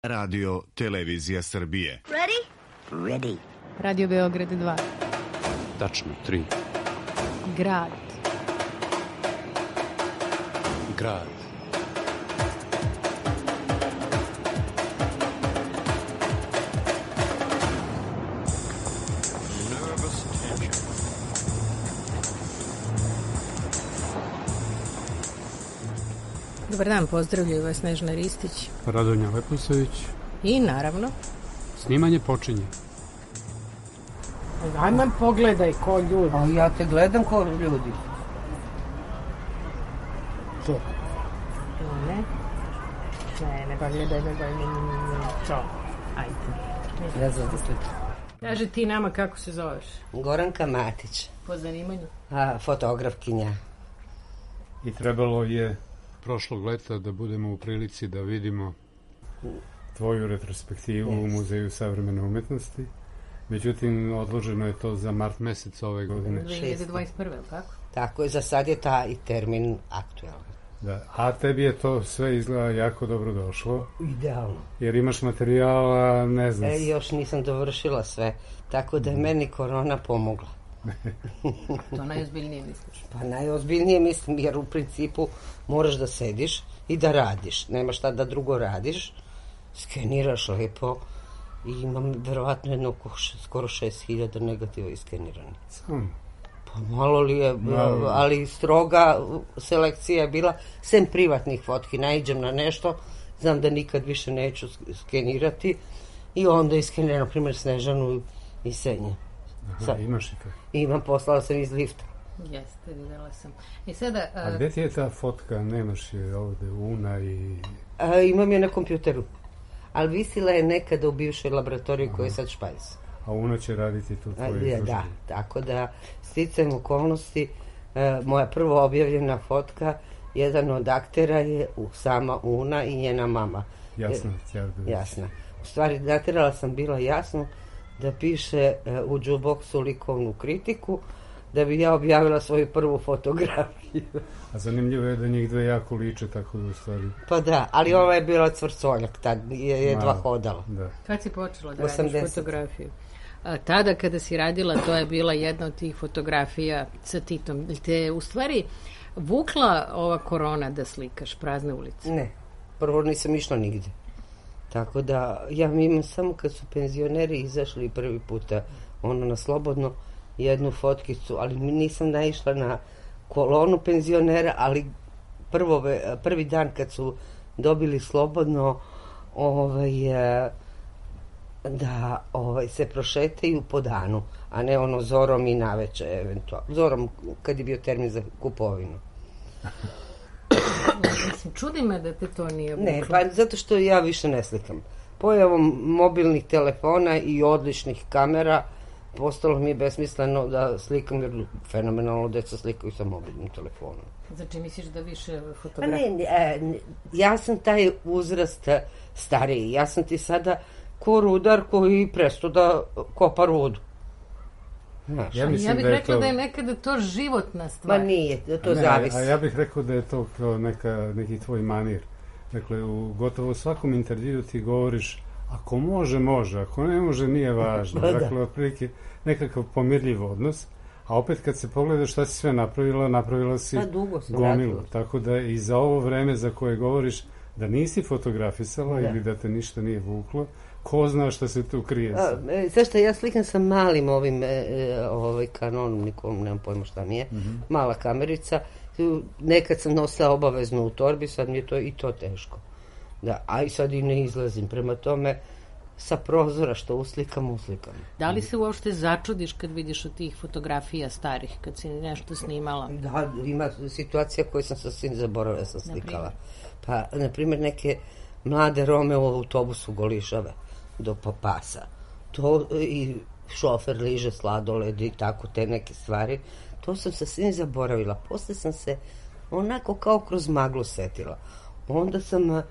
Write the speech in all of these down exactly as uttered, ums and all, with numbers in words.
Radio Televizija Srbije. Ready? Ready. Radio Beograd dva. Tačno, tri. Grad. Grad. Dobar dan, pozdravljaju vas Snežana Ristić. Radonja Leposavić. I naravno... Snimanje počinje. Ajme, pogledaj ko ljudi. A ja te gledam ko ljudi. To. Ne? Ne, ne, pa gledaj, ne, ne, ne, ne, čo? Ajde. Ne znam da sličim. Kaži ti nama kako se zoveš. Goranka Matić. Po zanimanju? A, fotografkinja. I trebalo je prošlog leta da budemo u prilici da vidimo tvoju retrospektivu yes. u Muzeju savremene umetnosti. Međutim, odloženo je to za mart mesec ove godine. dve hiljade dvadeset prve, tako? Tako je, za sad je taj termin aktualan. Da, a tebi je to sve izgleda jako dobro došlo. Idealno. Jer imaš materijala, ne znam. E, još nisam dovršila sve, tako da je meni korona pomogla. To najozbiljnije misliš? Pa najozbiljnije mislim, jer u principu moraš da sediš i da radiš. Nema šta da drugo radiš. Skeniraš lepo i imam verovatno jedno skoro šest hiljada negativa iskenirani. Samo? Pa malo li je, malo. Ali stroga selekcija je bila, sem privatnih fotki, naiđem na nešto, znam da nikad više neću skenirati i onda iskeniram, na primjer, Snežanu i Senje. Aha, Sad, imaš i to? Imam, poslala sam iz lifta. Jeste, videla sam. I sada... A, a gde ti je ta fotka? Nemaš je ovde, Una i... A, imam je na kompjuteru. Ali visila je nekada u bivšoj laboratoriji koja je sad Špajs. A Una će raditi tu tvoju izložbu? Da, tako da sticajem okolnosti, e, moja prvo objavljena fotka, jedan od aktera je u, sama Una i njena mama. Jasno, e, jasna. U stvari, datirala sam bila jasno da piše uh, u džuboksu likovnu kritiku, da bi ja objavila svoju prvu fotografiju. A zanimljivo je da njih dve jako liče, tako da u stvari... Pa da, ali ova je bila cvrcoljak, tad je jedva hodala. Da. Kad si počela da osamdeset radiš fotografiju? A, tada kada si radila, to je bila jedna od tih fotografija sa Titom. Te je u stvari vukla ova korona da slikaš prazne ulice? Ne, prvo nisam išla nigde. Tako da, ja imam samo kad su penzioneri izašli prvi puta ono na slobodno jednu fotkicu, ali nisam naišla na kolonu penzionera, ali prvo, prvi dan kad su dobili slobodno ovaj, da ovaj, se prošetaju po danu, a ne ono zorom i naveče eventualno. Zorom kad je bio termin za kupovinu. Mislim, čudi me da te to nije vuklo. Ne, pa zato što ja više ne slikam. Pojavom mobilnih telefona i odličnih kamera postalo mi je besmisleno da slikam, jer fenomenalno deca slikaju sa mobilnim telefonom. Znači misliš da više fotografija? Pa ne, ne, ne, ja sam taj uzrast stariji. Ja sam ti sada ko rudar koji presto da kopa rudu. Ja, ja bih da rekla to... da je nekada to životna stvar. Ma nije, da to ne, zavisi. A ja bih rekao da je to kao neka, neki tvoj manir. Dakle, u gotovo svakom intervju ti govoriš, ako može, može, ako ne može, nije važno. Da. Dakle, otprilike nekakav pomirljiv odnos, a opet kad se pogledaš šta si sve napravila, napravila si gomilu. Tako da i za ovo vreme za koje govoriš da nisi fotografisala da. Ili da te ništa nije vuklo, ko zna šta se tu krije sad? E, Zašto ja slikam sa malim ovim e, ovaj kanonom, nikom nemam pojma šta mi je, mm-hmm. mala kamerica. Nekad sam nosila obavezno u torbi, sad mi je to i to teško. Da, a i sad i ne izlazim. Prema tome, sa prozora što uslikam, uslikam. Da li se uopšte začudiš kad vidiš od tih fotografija starih, kad si nešto snimala? Da, ima situacija koju sam sasvim zaboravila, sam slikala. Pa, na primjer, neke mlade Rome u autobusu golišave do pasa. To i šofer liže sladoled i tako te neke stvari. To sam sasvim zaboravila. Posle sam se onako kao kroz maglu setila. Onda sam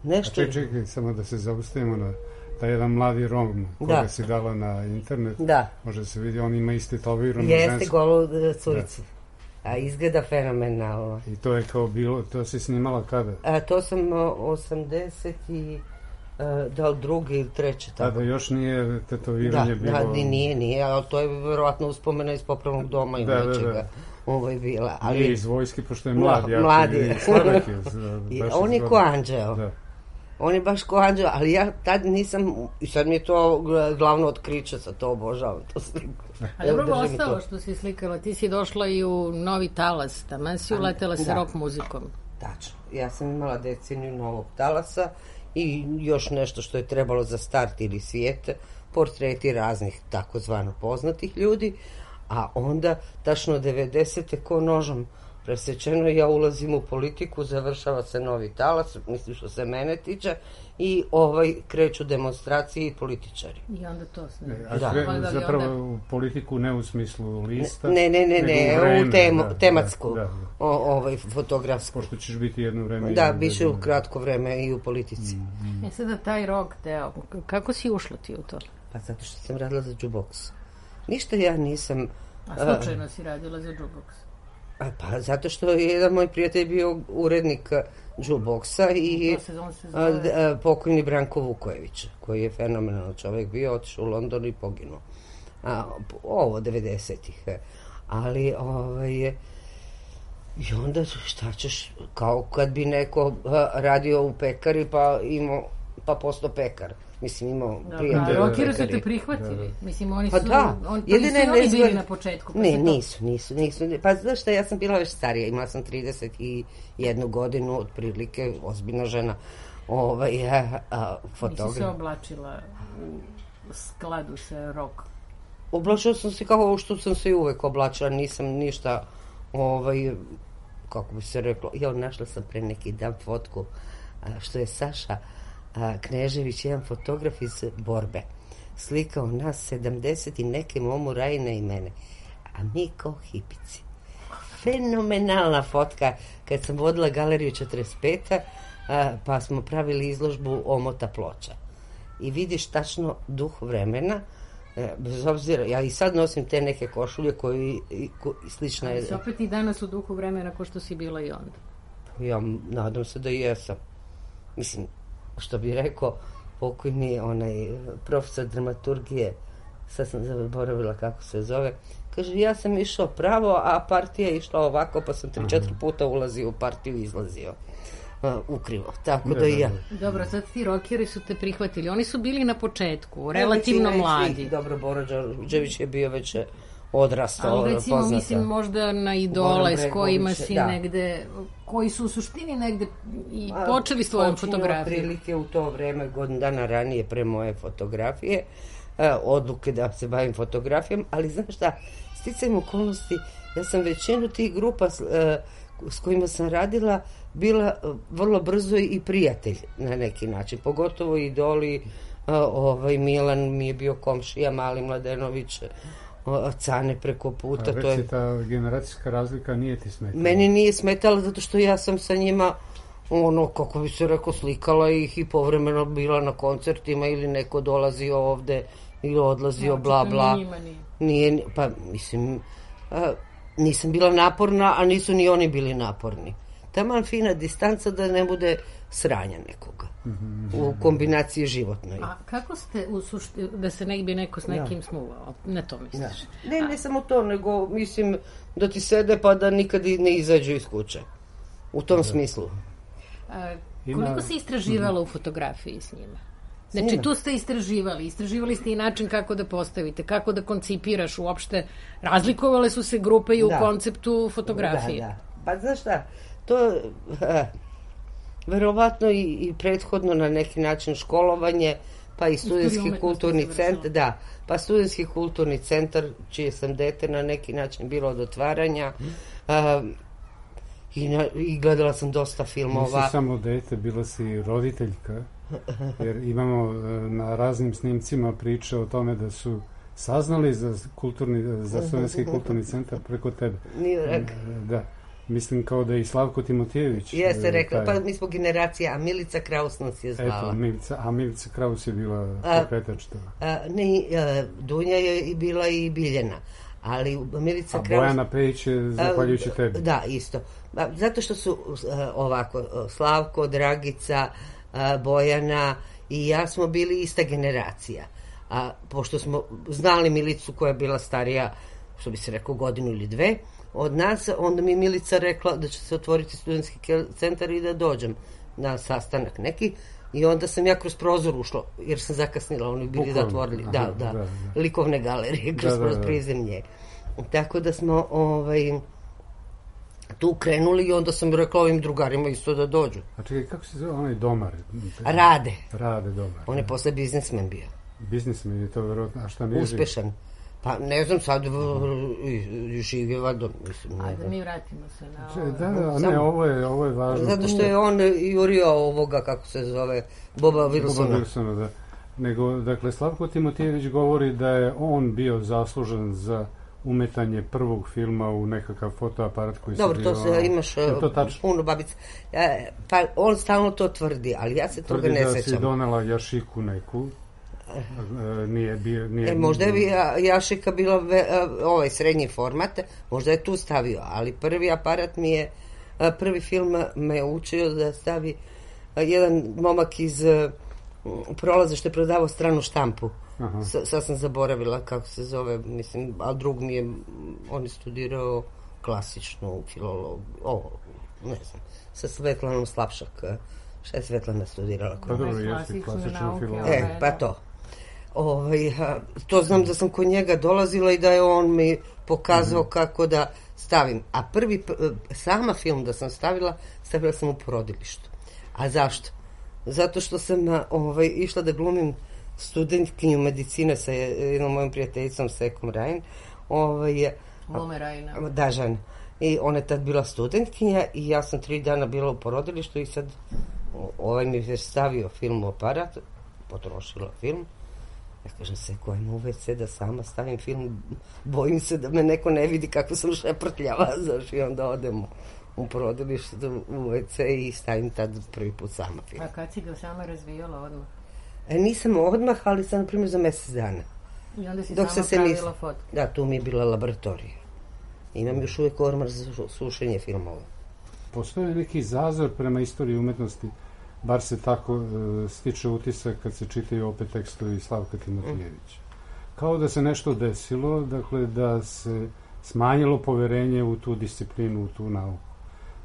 nešto... A čekaj, čekaj, samo da se zaustavimo na taj jedan mladi Rom koga da. Si dala na internet. Da. Može se vidi, on ima isti tetoviranu žensku. Jeste golu curicu. Da. A izgleda fenomenalno. I to je kao bilo, to si snimala kada? A to sam osamdeset da li drugi ili treći. A da još nije tetoviranje da, bilo... Da, nije, nije, ali to je verovatno uspomena iz popravnog doma i da, nečega. Da, da. Ovo je bila. Ali... Nije iz vojske, pošto je mlad. Ja, mladi. I slavak je. I on je ko anđeo. Da. On je baš ko anđeo, ali ja tad nisam, i sad mi je to glavno otkriće, sa to obožavam, to sliku. A dobro ostalo što si slikala, ti si došla i u Novi Talas, tamo si uletela sa rock muzikom. Tačno, ja sam imala deceniju Novog Talasa i još nešto što je trebalo za start ili svijete, portreti raznih takozvano poznatih ljudi, a onda tačno devedesete ko nožom presečeno, ja ulazim u politiku, završava se Novi Talas, mislim što se mene tiče, i ovaj kreću demonstracije i političari. I onda to sve. A da. Kre, zapravo onda... u politiku ne u smislu lista, ne, ne, ne, ne, u, vreme, u temu, da, tematsku, da, da. O, ovaj, fotografsku. Pošto ćeš biti jedno vreme... Da, biće u kratko vreme i u politici. Mm, mm. E sada taj rock deo, kako si ušla ti u to? Pa zato što sam radila za jukebox. Ništa ja nisam... A slučajno uh, si radila za jukebox? Pa zato što je jedan moj prijatelj bio urednik jukeboxa i se, se a, a, pokojni Branko Vukojević, koji je fenomenalan čovjek bio, otišao u London i poginuo. A, ovo, devedesetih. Ali, ovaj, i onda šta ćeš, kao kad bi neko a, radio u pekari pa imao, pa postao pekar. Mislim, imao prijatelje. Da, rokeri su te prihvatili. Da. Mislim, oni pa su... Da. On, pa nisu oni izgled... bili na početku. Pa ne, nisu, nisu, nisu. Pa znaš šta, ja sam bila već starija. Imala sam trideset jednu godinu, otprilike, ozbiljna žena. Ovaj, a, a, fotograf. Nisi se oblačila u skladu sa rock? Oblačila sam se kao što sam se i uvek oblačila. Nisam ništa, ovaj, kako bi se reklo, ja našla sam pre neki dan fotku, a, što je Saša A, Knežević, jedan fotograf iz Borbe, slikao nas sedamdeset i neke Momu Rajine i mene, a mi kao hipici. Fenomenalna fotka, kad sam vodila galeriju četrdeset pete a, pa smo pravili izložbu omota ploča i vidiš tačno duh vremena, e, bez obzira, ja i sad nosim te neke košulje koji ko, slična je. Ali se opet i danas u duhu vremena ko što si bila i onda. Ja nadam se da i jesam. Mislim, što bi rekao pokojni onaj profesor dramaturgije, sad sam zaboravila kako se zove, kaže, ja sam išao pravo, a partija je išla ovako, pa sam tri, četiri puta ulazio u partiju i izlazio uh, ukrivo, tako da i ja. Dobro, sad ti rokeri su te prihvatili, oni su bili na početku, relativno mladi. Dobro, Boro Đorđević je bio već odrastao, ali recimo, poznata. Mislim, možda na idole s kojima si da. negde, koji su u suštini negde i a, počeli s tvojom fotografijom. Prilike u to vreme, godinu dana ranije pre moje fotografije, a, odluke da se bavim fotografijom, ali znaš šta, sticajem okolnosti, ja sam većinu tih grupa s, a, s kojima sam radila bila vrlo brzo i prijatelj na neki način, pogotovo idoli, a, ovaj Milan mi je bio komšija, Mali Mladenović, Cane preko puta. A to je... ta generacijska razlika nije ti smetala? Meni nije smetala zato što ja sam sa njima, ono, kako bi se rekao, slikala ih i povremeno bila na koncertima ili neko dolazio ovde ili odlazio, no, bla, bla. Njima nije. Nije, pa, mislim, a, nisam bila naporna, a nisu ni oni bili naporni. Taman fina distanca da ne bude sranja nekoga mm-hmm. u kombinaciji životnoj. A kako ste u suštini, da se ne bi neko s nekim ja. smuvao? Ne to misliš? Ja. Ne, ne samo to, nego mislim da ti sede pa da nikad ne izađu iz kuće. U tom da. smislu. A, koliko Ima... si istraživala mm-hmm. u fotografiji s njima? Znači, tu ste istraživali. Istraživali ste i način kako da postavite, kako da koncipiraš uopšte. Razlikovale su se grupe i u da. konceptu fotografije. Da, da. Pa znaš šta, to... Ha, verovatno i, i prethodno na neki način školovanje, pa i studentski kulturni centar, da, pa studentski kulturni centar, čije sam dete na neki način bilo od otvaranja, um, i, na, i gledala sam dosta filmova. Nisi samo dete, bila si roditeljka, jer imamo na raznim snimcima priče o tome da su saznali za, kulturni, za studentski kulturni centar preko tebe. Nije rekao. Da. Mislim kao da je i Slavko Timotijević. Jeste rekla, taj... pa mi smo generacija, a Milica Kraus nas je zvala. Eto, Milica, a Milica Kraus je bila pokretač toga. Ne, a, Dunja je i bila i Biljana, ali Milica a Kraus... A Bojana Pejić je zahvaljujući tebi. Da, isto. Zato što su a, ovako, Slavko, Dragica, a, Bojana i ja smo bili ista generacija. A pošto smo znali Milicu koja je bila starija, što bi se rekao, godinu ili dve od nas, onda mi Milica rekla da će se otvoriti studentski centar i da dođem na sastanak neki. I onda sam ja kroz prozor ušla, jer sam zakasnila, oni bili zatvorili, da, da, da, da, likovne galerije, kroz da, da, da. prizemlje. Tako da smo ovaj, tu krenuli i onda sam rekla ovim drugarima isto da dođu. A čekaj, kako se zove onaj Domar? Rade. Rade Domar. On je posle biznismen bio. Biznismen je to verovatno, a šta nije? Uspešan. Pa ne znam, sad živi je valjda, mislim. Ajde, mi vratimo se na ovo. Da, da, ne, ovo je, ovo je važno. Zato što je on jurio ovoga, kako se zove, Boba Wilsona. Boba Wilsona, da. Nego, dakle, Slavko Timotijević govori da je on bio zaslužen za umetanje prvog filma u nekakav fotoaparat koji se bio... Dobro, to se imaš puno babica. Pa on stalno to tvrdi, ali ja se toga ne sećam. Tvrdi da si donela jašiku neku. Nije bio, nije, e, možda je jašika bila ve, ovaj srednji format, možda je tu stavio, ali prvi aparat mi je, prvi film me je učio da stavi jedan momak iz Prolaza što je prodavao stranu štampu. S, sad sam zaboravila kako se zove, mislim, a drug mi je, on je studirao klasičnu filologiju, ovo, ne znam, sa Svetlanom Slapšak. Šta je Svetlana studirala? Pa dobro, jeste klasičnu filologiju. E, pa to. Ovaj, to znam da sam kod njega dolazila i da je on mi pokazao mm-hmm. kako da stavim. A prvi, sama film da sam stavila, stavila sam u porodilištu. A zašto? Zato što sam ovaj, išla da glumim studentkinju medicine sa jednom mojom prijateljicom Sekom Rajn. Ovaj, Glume Rajna. Da, žena. I ona je tad bila studentkinja i ja sam tri dana bila u porodilištu i sad ovaj mi je stavio film u aparat, potrošila film. Ja kažem se, koja ima u ve ce da sama stavim film, bojim se da me neko ne vidi kako sam šeprtljava, znaš, i onda odem u porodilište u ve ce i stavim tad prvi put sama film. A kad si ga sama razvijala odmah? E, nisam odmah, ali sam, na primjer, za mesec dana. I onda si Dok sama pravila fotke? Da, tu mi je bila laboratorija. Imam još uvijek ormar za sušenje filmova. Postoje neki zazor prema istoriji umetnosti, bar se tako uh, stiče utisak kad se čitaju opet tekstovi Slavka Timotijevića. Kao da se nešto desilo, dakle da se smanjilo poverenje u tu disciplinu, u tu nauku.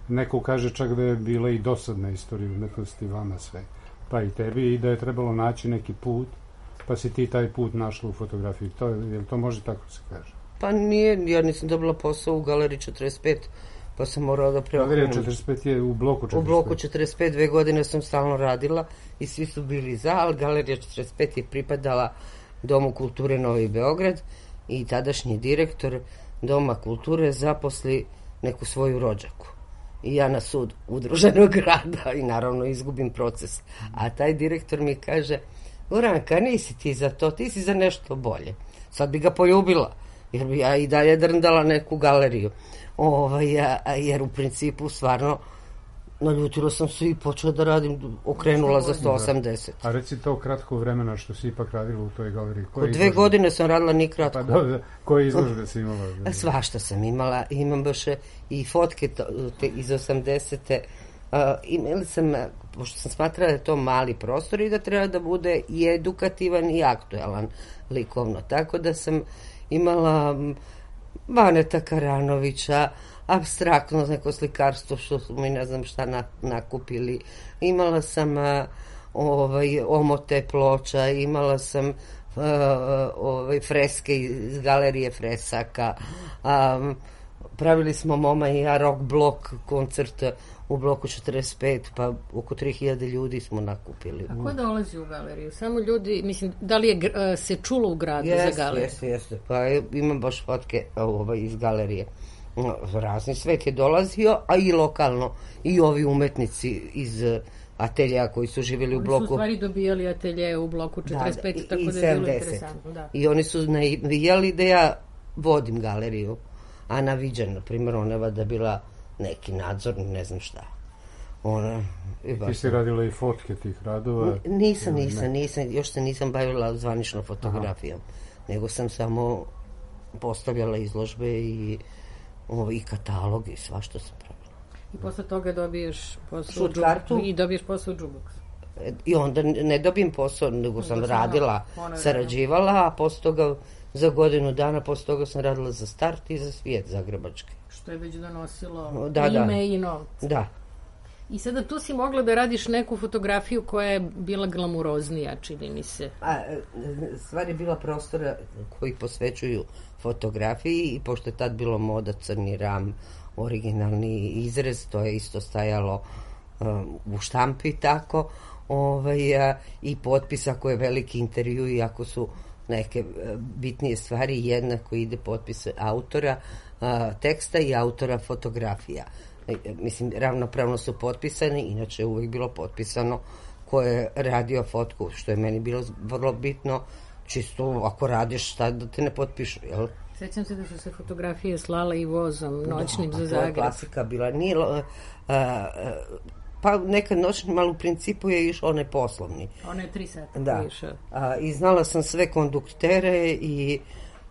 Neko kaže čak da je bila i dosadna istorija umetnosti vama sve, pa i tebi, i da je trebalo naći neki put, pa si ti taj put našla u fotografiji. To, jel to može tako se kaže? Pa nije, ja nisam dobila posao u Galeriji četrdeset pet, pa sam morala da preokrenem. Galerija četrdeset pet je u bloku četrdeset pet. U bloku četrdeset pet, dve godine sam stalno radila i svi su bili za, ali Galerija četrdeset pet je pripadala Domu kulture Novi Beograd i tadašnji direktor Doma kulture zaposli neku svoju rođaku. I ja na sud udruženog grada i naravno izgubim proces. A taj direktor mi kaže, Goranka, nisi ti za to, ti si za nešto bolje. Sad bi ga poljubila, jer bi ja i dalje drndala neku galeriju. Ovaj, ja, jer u principu stvarno naljutila sam se i počela da radim, okrenula za sto osamdeset. A reci to kratko vremena što si ipak radila u toj galeriji. Koje dve godine sam radila ni kratko. Pa dobro, koje izložbe si imala? Svašta sam imala, imam baš i fotke te, iz osamdesete. Uh, imali sam, pošto sam smatrala da je to mali prostor i da treba da bude i edukativan i aktuelan likovno. Tako da sam imala Baneta Karanovića, apstraktno neko slikarstvo što su mi ne znam šta na, nakupili. Imala sam uh, ovaj, omote ploča, imala sam uh, ovaj, freske iz galerije fresaka. Um, pravili smo Moma i ja rock blok koncert u bloku četrdeset pet, pa oko tri hiljade ljudi smo nakupili. A ko dolazi u galeriju? Samo ljudi, mislim, da li je uh, se čulo u gradu jeste, za galeriju? Jeste, jeste. Pa imam baš fotke ovaj, iz galerije. Razni svet je dolazio, a i lokalno. I ovi umetnici iz ateljeja koji su živjeli u bloku. Oni su u stvari dobijali atelje u bloku četrdeset pet, da, tako da je bilo interesantno. Da. I oni su navijali da ja vodim galeriju. Ana Viđan, na primjer, ona je vada bila neki nadzor, ne znam šta. Ona, ti si radila i fotke tih radova? Nisam, nisam, nisam, još se nisam bavila zvanično fotografijom, aha, nego sam samo postavljala izložbe i, ovo, i katalog i sva što sam pravila. I posle toga dobiješ posao u, i dobiješ posao u Džuboksu. I onda ne dobijem posao, nego sam radila, sarađivala, a posle toga za godinu dana, posle toga sam radila za Start i za Svijet zagrebački. Što je već donosilo da, ime da. I novce. Da. I sada tu si mogla da radiš neku fotografiju koja je bila glamuroznija, čini mi se. A, stvar je bila prostora koji posvećuju fotografiji i pošto je tad bilo moda crni ram, originalni izrez, to je isto stajalo um, u štampi tako, ovaj, a, i potpis ako je veliki intervju i ako su neke bitnije stvari, jednako ide potpis autora a, teksta i autora fotografija. Mislim, ravnopravno su potpisani, inače je uvijek bilo potpisano ko je radio fotku, što je meni bilo vrlo bitno, čisto ako radiš šta da te ne potpišu, jel? Sećam se da su se fotografije slale i vozom noćnim da, za Zagreb. To je klasika bila. Nije, a, a, pa nekad noćnim, ali u principu je išao onaj poslovni. Ona je tri sata da. A, I znala sam sve konduktere i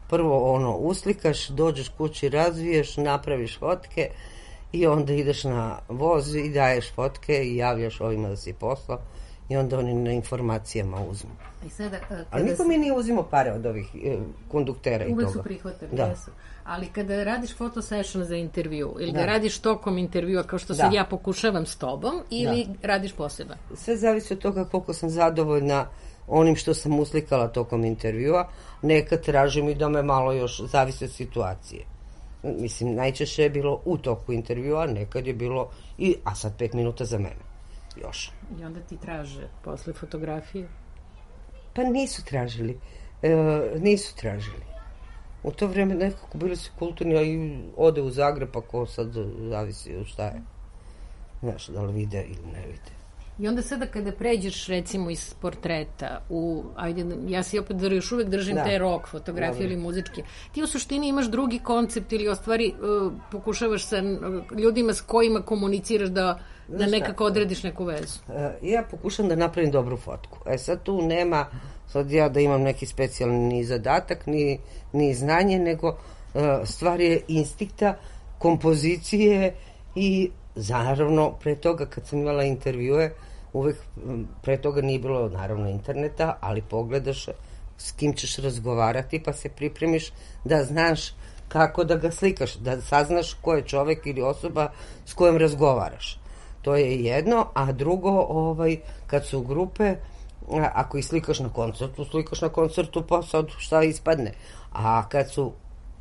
prvo ono, uslikaš, dođeš kući, razviješ, napraviš fotke i onda ideš na voz i daješ fotke i javljaš ovima da si poslao i onda oni na informacijama uzmu. I sada, ali niko mi nije uzimao pare od ovih e, konduktera i toga. Uvek su prihvatili, da. Jesu. Ali kada radiš foto session za intervju ili da, da radiš tokom intervjua kao što da. sad ja pokušavam s tobom ili da. radiš poseban? Sve zavisi od toga koliko sam zadovoljna onim što sam uslikala tokom intervjua. Nekad tražim i da me malo još zavisi od situacije. Mislim, najčešće je bilo u toku intervjua, nekad je bilo i, a sad pet minuta za mene. Još. I onda ti traže posle fotografije? Pa nisu tražili. E, nisu tražili. U to vreme nekako bili su kulturni, a i ode u Zagreb, pa ko sad zavisi od šta je. Znaš, da li vide ili ne vide. I onda sada kada pređeš recimo iz portreta u, ajde, ja si opet još uvek držim da. te rock fotografije da, ili muzičke, ti u suštini imaš drugi koncept ili ostvari uh, pokušavaš sa ljudima s kojima komuniciraš da, da nekako odrediš neku vezu. Uh, ja pokušam da napravim dobru fotku. E sad tu nema sad ja da imam neki specijalni ni zadatak, ni, ni znanje, nego uh, stvar je instinkta, kompozicije i naravno, pre toga kad sam imala intervjue, uvek pre toga nije bilo naravno interneta, ali pogledaš s kim ćeš razgovarati pa se pripremiš da znaš kako da ga slikaš, da saznaš ko je čovek ili osoba s kojom razgovaraš. To je jedno, a drugo, ovaj, kad su grupe, ako ih slikaš na koncertu, slikaš na koncertu pa sad šta ispadne. A kad su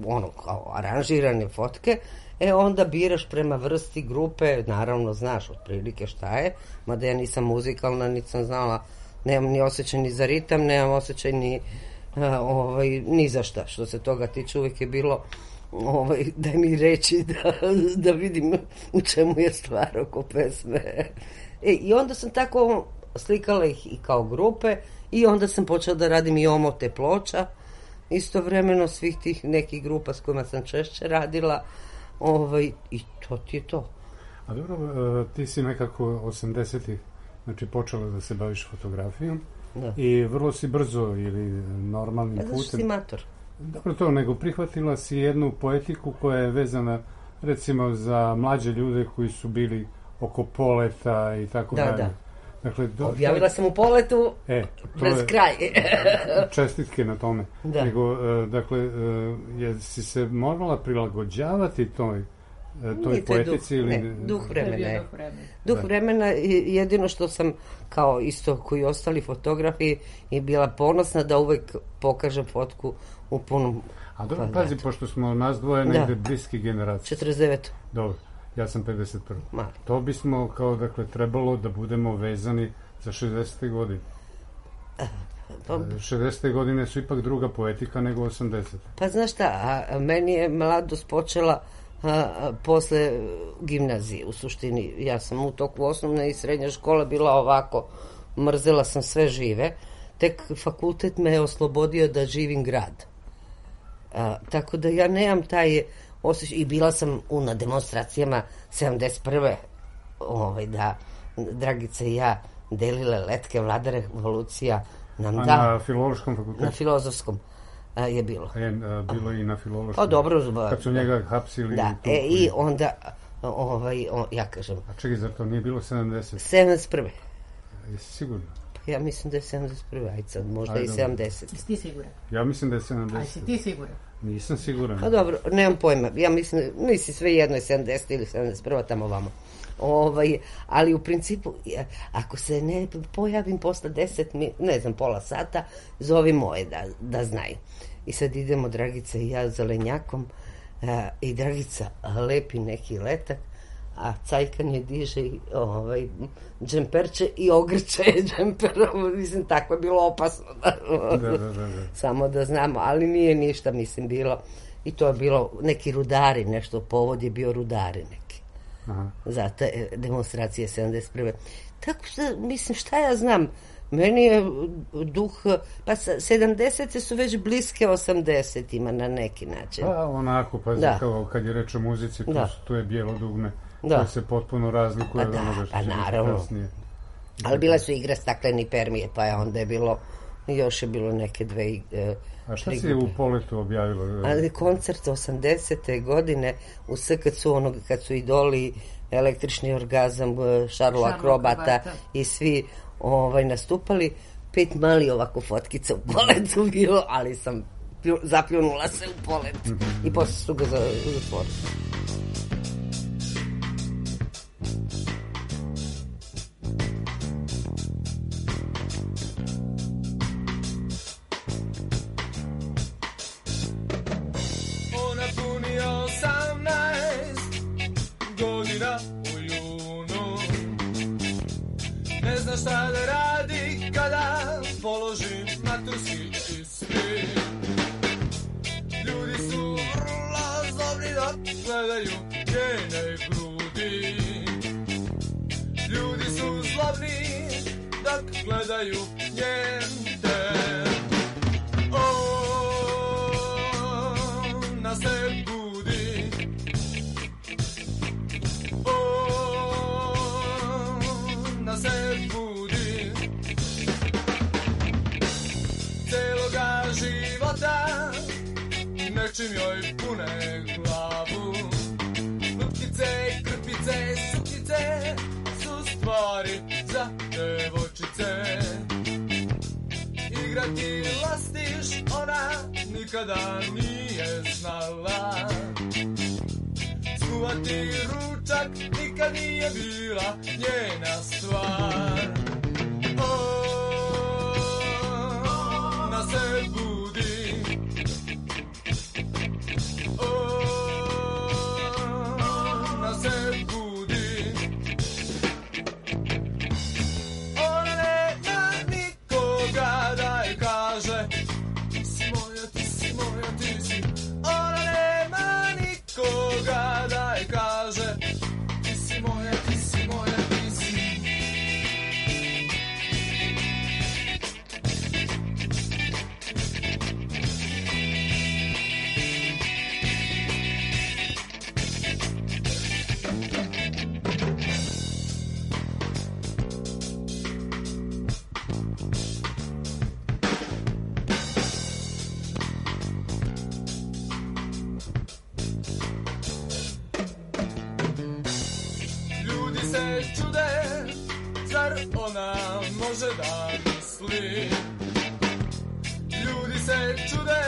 ono kao aranžirane fotke, e onda biraš prema vrsti grupe, naravno znaš otprilike šta je, mada ja nisam muzikalna, nisam znala, nemam ni osjećaj ni za ritam, nemam osjećaj ni, a, ovaj, ni za šta. Što se toga tiče, uvijek je bilo ovaj, daj mi reći da, da vidim u čemu je stvar oko pesme. E, i onda sam tako slikala ih i kao grupe i onda sam počela da radim i omote ploča, istovremeno svih tih nekih grupa s kojima sam češće radila. Ovaj, i to ti je to. A dobro, ti si nekako osamdesetih znači počela da se baviš fotografijom da. I vrlo si brzo ili normalnim putem. Zato što si mator. Dobro to, nego prihvatila si jednu poetiku koja je vezana recimo za mlađe ljude koji su bili oko poleta i tako da, dalje. Da. Dakle, do, objavila sam u Poletu e, pred kraj. Čestitke na tome. Da. Nego, dakle, jesi se morala prilagođavati toj, toj Nije, poetici? Duh, ili... ne, duh vremena je. Duh vremena. Duh vremena, jedino što sam, kao isto koji ostali fotografi, je bila ponosna da uvek pokažem fotku u punom. A dobro, pazi, pošto smo nas dvoje negde bliski generacije. četrdeset devet. Dobro. Ja sam pedeset prvi. Mali. To bismo kao dakle trebalo da budemo vezani za šezdesete godine. Pa, šezdesete godine su ipak druga poetika nego osamdesete. Pa znaš šta, a, a meni je mladost počela a, a, posle gimnazije u suštini. Ja sam u toku osnovne i srednje škole bila ovako, mrzela sam sve žive, tek fakultet me je oslobodio da živim grad. A, tako da ja nemam taj osjećaj, i bila sam u, na demonstracijama sedamdeset prve ovaj, da Dragica i ja delile letke, vlada revolucija nam a da. Na filološkom fakultetu? Na filozofskom a, je bilo. E, a, bilo i na filološkom. Pa dobro. Zba, kad su njega hapsili. Da, e, i onda, ovaj, on, ja kažem. A čekaj, zar to nije bilo sedamdeset? sedamdeset prve. Jesi sigurno? Ja mislim da je sedamdeset prve, ajde sad, možda i sedamdeset. Jesi ti siguran? Ja mislim da je sedamdeset. Aj, si ti siguran? Nisam siguran. Pa dobro, nemam pojma. Ja mislim, nisi sve jedno je sedamdeset ili sedamdeset prva tamo vamo. Ovaj, ali u principu, ako se ne pojavim posle deset, ne znam, pola sata, zovi moje da, da znaju. I sad idemo, Dragica i ja, zelenjakom, a, i Dragica lepi neki letak, a Cajkan je diže ovaj, džemperče i ogrče džemperom. Mislim, tako je bilo opasno. Da, da, da, da, da. Samo da znamo, ali nije ništa, mislim, bilo. I to je bilo neki rudari, nešto, povod je bio rudari neki. Aha. Za te demonstracije sedamdeset prve. Tako što, mislim, šta ja znam, meni je duh, pa sedamdesete su već bliske osamdesetima na neki način. Pa onako, pa da. Kao kad je reč o muzici, tu, tu je bijelo dugme, da. Koje se potpuno razlikuje od pa onoga što pa će naravno. Kasnije. Ali bile su igre stakleni permije, pa je onda je bilo, još je bilo neke dve... E, A šta si u Poletu objavilo? Ali koncert osamdesete godine u S K C-u, onog kad su Idoli, Električni orgazam, Šarlo Akrobata i svi ovaj, nastupali, pet mali ovako fotkica u Poletu bilo, ali sam zapljunula se u Polet mm-hmm. i posle su ga zatvorili. Šta da radi kada položim maturski ispit. Ljudi su vrlo zlobni dok gledaju njene grudi. Ljudi su zlobni dok gledaju njen ten. Ona se budi. Ona se budi. Celoga života nečim joj pune glavu. Lutkice, krpice, suknice su stvari za devojčice. Igrati lastiš ona nikada nije znala. Skuvati ručak nikad nije bila njena stvar. Ona se budi. Ona se budi. Ona nema nikoga da je kaže ti si moja, ti si moja, ti si. Ona nema nikoga da je kaže ti si moja, ti si moja, ti si. Ljudi se čude, zar ona može da misli? Ljudi se čude,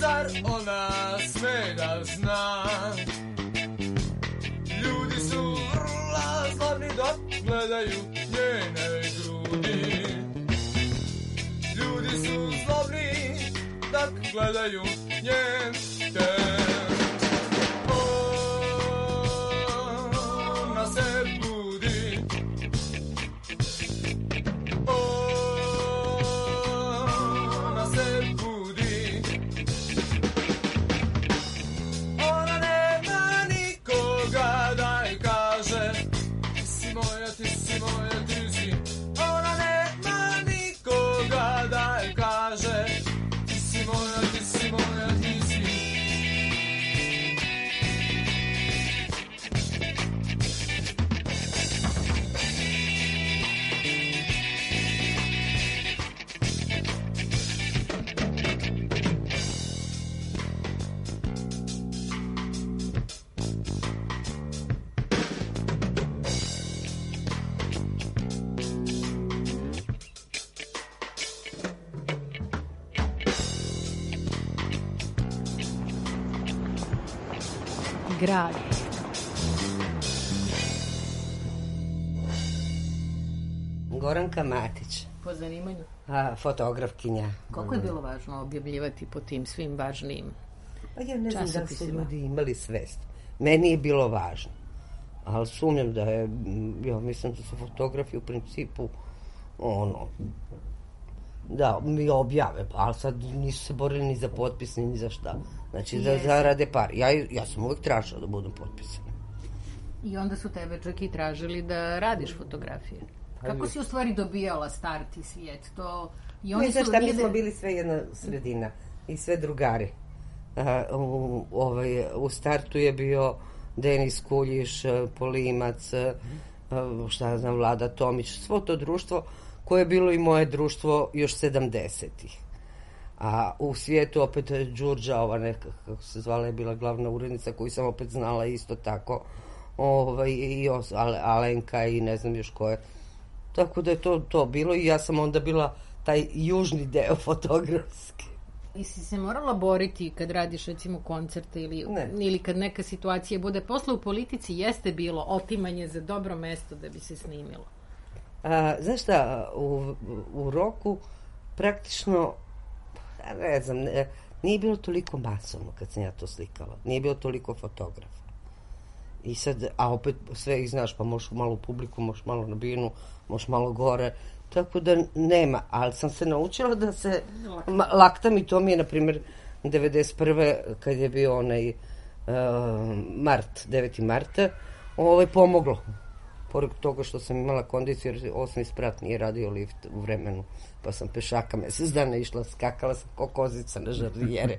zar ona sme da zna? Ljudi su vrlo zlobni dok gledaju njene grudi. Ljudi su zlobni dok gledaju njen ten. Ona se budi. Ona se budi. Ona nema nikoga da je kaže ti si moja, ti si moja, ti si. Ona nema nikoga da je kaže ti si moja, ti si moja, ti si. grad. Goranka Matić. Po zanimanju? A, fotografkinja. Koliko je bilo važno objavljivati po tim svim važnijim časopisima? Pa ja ne znam da su ljudi imali svest. Meni je bilo važno. Ali sumnjam da je, ja mislim da su fotografi u principu ono, da mi objave, ali sad nisu se borili ni za potpis, ni za šta. Znači da zarade par. Ja, ja sam uvijek tražila da budem potpisan. I onda su tebe čak i tražili da radiš fotografije. Kako si u stvari dobijala start i svijet? To... I oni ne, su... šta, mi smo bili sve jedna sredina i sve drugari. A, u, ovaj, u startu je bio Denis Kuljiš, Polimac, šta znam, Vlada Tomić, svo to društvo koje je bilo i moje društvo još sedamdesetih. A u svijetu opet Đurđa, ova neka, kako se zvala, je bila glavna urednica koju sam opet znala isto tako, ovaj, i os, Alenka i ne znam još ko je. Tako da je to, to bilo i ja sam onda bila taj južni deo fotografski. I si se morala boriti kad radiš recimo koncerte ili, ili kad neka situacija bude. Posle u politici jeste bilo otimanje za dobro mesto da bi se snimilo. A, znaš šta, u, u roku praktično, ne znam, ne, nije bilo toliko masovno kad sam ja to slikala. Nije bilo toliko fotografa. I sad, a opet sve ih znaš, pa možeš malo u publiku, možeš malo na binu, možeš malo gore, tako da nema, ali sam se naučila da se ma, laktam i to mi je, na primjer, devedeset prve kad je bio onaj uh, mart, deveti marta, ovaj, pomoglo. Pored toga što sam imala kondiciju, jer osmi sprat nije radio lift u vremenu, pa sam pešaka mesec dana išla, skakala sam ko kozica na žardijere.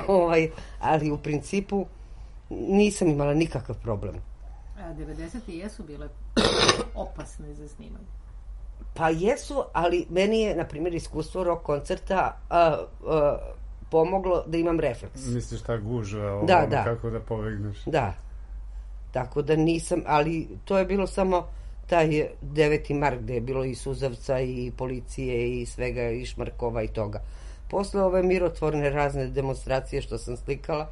ovaj, ali u principu nisam imala nikakav problem. A devedesete jesu bile opasne za snimanje? Pa jesu, ali meni je, na primjer, iskustvo rock koncerta a, a, pomoglo da imam refleks. Misliš ta gužva, ovo, da, da. kako da povegneš? Da. Tako da nisam, ali to je bilo samo taj deveti mart gde je bilo i suzavca i policije i svega i šmarkova i toga. Posle ove mirotvorne razne demonstracije što sam slikala,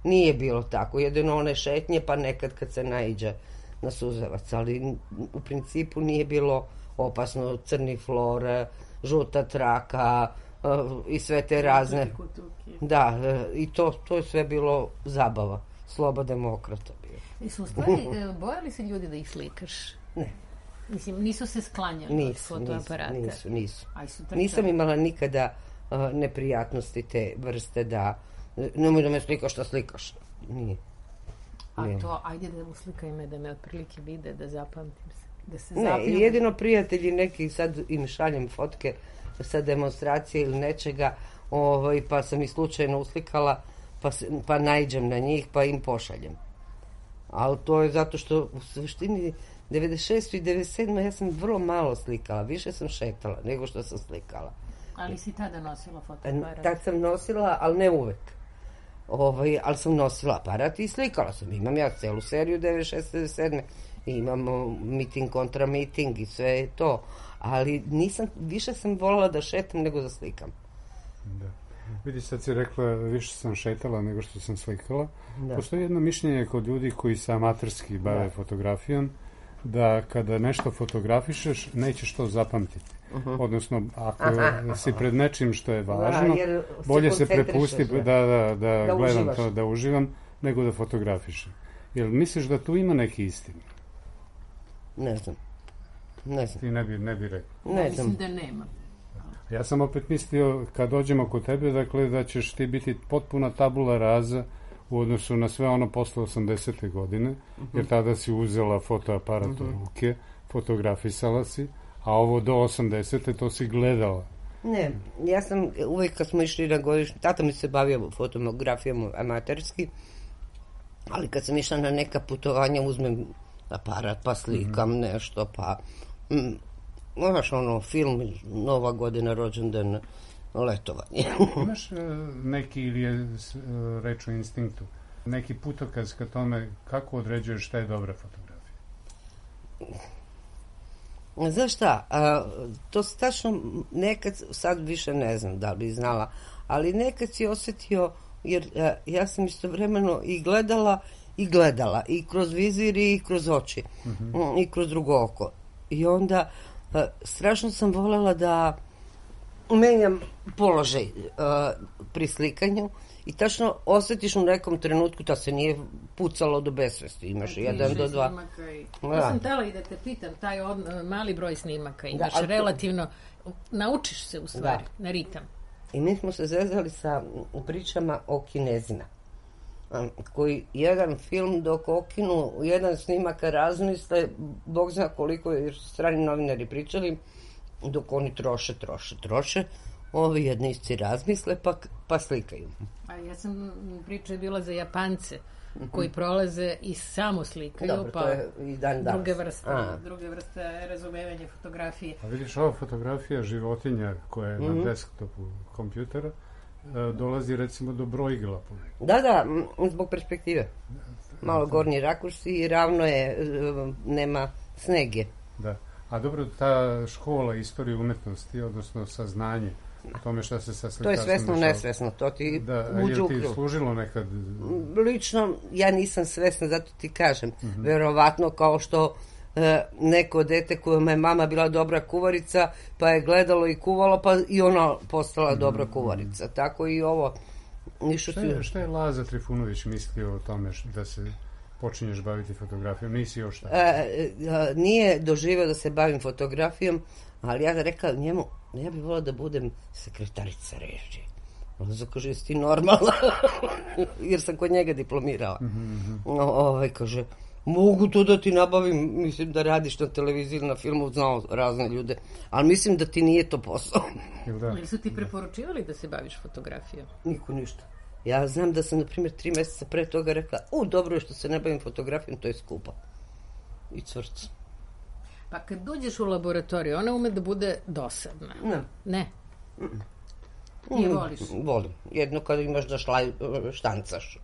nije bilo tako. Jedino one šetnje, pa nekad kad se naiđe na suzavac, ali u principu nije bilo opasno. Crni flor, žuta traka uh, i sve te razne. Da, uh, i to, to je sve bilo zabava. Sloba demokrata bio. I su u stvari, bojali se ljudi da ih slikaš? Ne. Mislim, nisu se sklanjali nisu, od fotoaparata? Nisu, nisu. nisu. Nisam imala nikada uh, neprijatnosti te vrste da nemoj da me slikaš, šta slikaš. Nije. A ne. To, ajde da uslikaj me, da me otprilike vide, da zapamtim se. Da se ne, zapljubim. Jedino prijatelji neki, sad im šaljem fotke sa demonstracije ili nečega, ovaj, pa sam ih slučajno uslikala, pa, pa naiđem na njih, pa im pošaljem. Ali to je zato što u suštini devedeset šeste i devedeset sedme ja sam vrlo malo slikala, više sam šetala nego što sam slikala. Ali si tada nosila fotoaparat? Tad sam nosila, ali ne uvek. Ovaj, ali sam nosila aparat i slikala sam. Imam ja celu seriju devedeset šeste i devedeset sedme Imamo miting kontra miting i sve je to. Ali nisam, više sam voljela da šetam nego da slikam. Da. Vidi, sad si rekla, više sam šetala nego što sam slikala. Da. Postoji jedno mišljenje kod ljudi koji se amaterski bave da. fotografijom, da kada nešto fotografišeš, nećeš to zapamtiti. Uh-huh. Odnosno, ako aha, si pred nečim što je važno, da, bolje se prepusti da, da, da, da, da gledam uživaš. To, da uživam, nego da fotografišem. Jel misliš da tu ima neki istine? Ne znam. Ne znam. Ti ne bi, ne bi rekao. Ne ja mislim da nema. Ja sam opet mislio, kad dođemo kod tebe, dakle, da ćeš ti biti potpuna tabula raza u odnosu na sve ono posle osamdesete godine, uh-huh. jer tada si uzela fotoaparat uh-huh. u ruke, fotografisala si, a ovo do osamdesete to si gledala. Ne, ja sam uvijek kad smo išli na godišnji, tata mi se bavio fotografijom amaterski, ali kad sam išla na neka putovanja uzmem aparat pa slikam mm-hmm. nešto, pa mm, znaš ono, film, Nova godina, rođendan, letovanje. Imaš uh, neki, ili je uh, reč o instinktu, neki putokaz ka tome kako određuješ šta je dobra fotografija? Znaš šta, a, to tačno nekad, sad više ne znam da li bi znala, ali nekad si osjetio jer a, ja sam istovremeno i gledala i gledala, i kroz vizir i kroz oči, mm-hmm. i kroz drugo oko. I onda a, strašno sam voljela da menjam položaj a, pri slikanju i tačno osjetiš u nekom trenutku da se nije pucalo do besvesti. Imaš znači, jedan do dva. I... Ja sam tela i da te pitam, taj od, mali broj snimaka imaš da, relativno, naučiš se u stvari da. Na ritam. I mi smo se zezali sa pričama o Kinezima, koji jedan film dok okinu, jedan snimaka razmisle, Bog zna koliko je strani novinari pričali, dok oni troše, troše, troše, ovi jednici razmisle pa, pa slikaju. A ja sam priča je bila za Japance koji prolaze i samo slikaju. Dobro, pa to je i dan danas. Druge vrste, druge vrste razumevanja fotografije. A vidiš, ova fotografija životinja koja je mm-hmm. na desktopu kompjutera dolazi recimo do brojila. Da, da, zbog perspektive. Malo gornji rakurs i ravno je, nema snege. Da. A dobro, ta škola istorije umetnosti, odnosno saznanje o tome šta se sa slikarstvom... To je svesno, nesvesno, to ti da, uđe u krv. Da, je ti služilo nekad? Lično, ja nisam svesna, zato ti kažem. Mm-hmm. Verovatno kao što e, neko dete kojima je mama bila dobra kuvarica, pa je gledalo i kuvalo, pa i ona postala mm-hmm. dobra kuvarica. Tako i ovo. Šta je, šta je Laza Trifunović mislio o tome da se... počinješ baviti fotografijom, nisi još tako? E, e, nije doživio da se bavim fotografijom, ali ja da rekao njemu, ja bih volila da budem sekretarica režije. On kaže, jesi ti normalna? Jer sam kod njega diplomirala. Mm-hmm. O, ovaj, kaže, mogu to da ti nabavim, mislim da radiš na televiziji, na filmu, znao razne ljude, ali mislim da ti nije to posao. Da? Ili su ti preporučivali da se baviš fotografijom? Niko ništa. Ja znam da sam, na primjer, tri mjeseca pre toga rekla, u, dobro je što se ne bavim fotografijom, to je skupo. I cvrc. Pa kad dođeš u laboratoriju, ona ume da bude dosadna. Ne. Ne? Ti je voliš? Volim. Jedno kada imaš da šlaj, štancaš.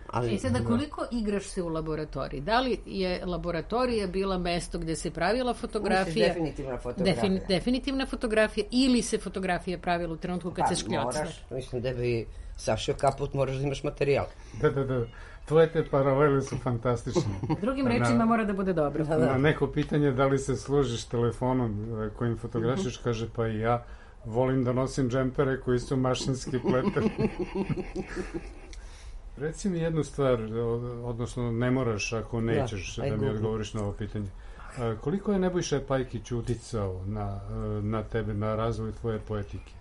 Ali, I sada koliko igraš se u laboratoriji? Da li je laboratorija bila mesto gdje se pravila fotografija? Misliš definitivna fotografija? Defin, definitivna fotografija ili se fotografija pravila u trenutku kad pa, se škljocne? Moraš, mislim da bi sašio kaput, moraš da imaš materijal. Da, da, da. Tvoje te paralele su fantastične. Drugim rečima mora da bude dobro. Da, da. Na neko pitanje da li se služiš telefonom kojim fotografiš, kaže pa i ja volim da nosim džempere koji su mašinski pleteni. Reci mi jednu stvar, odnosno ne moraš ako nećeš da, da mi odgovoriš na ovo pitanje. Koliko je Nebojša Pajkić uticao na, na tebe, na razvoj tvoje poetike?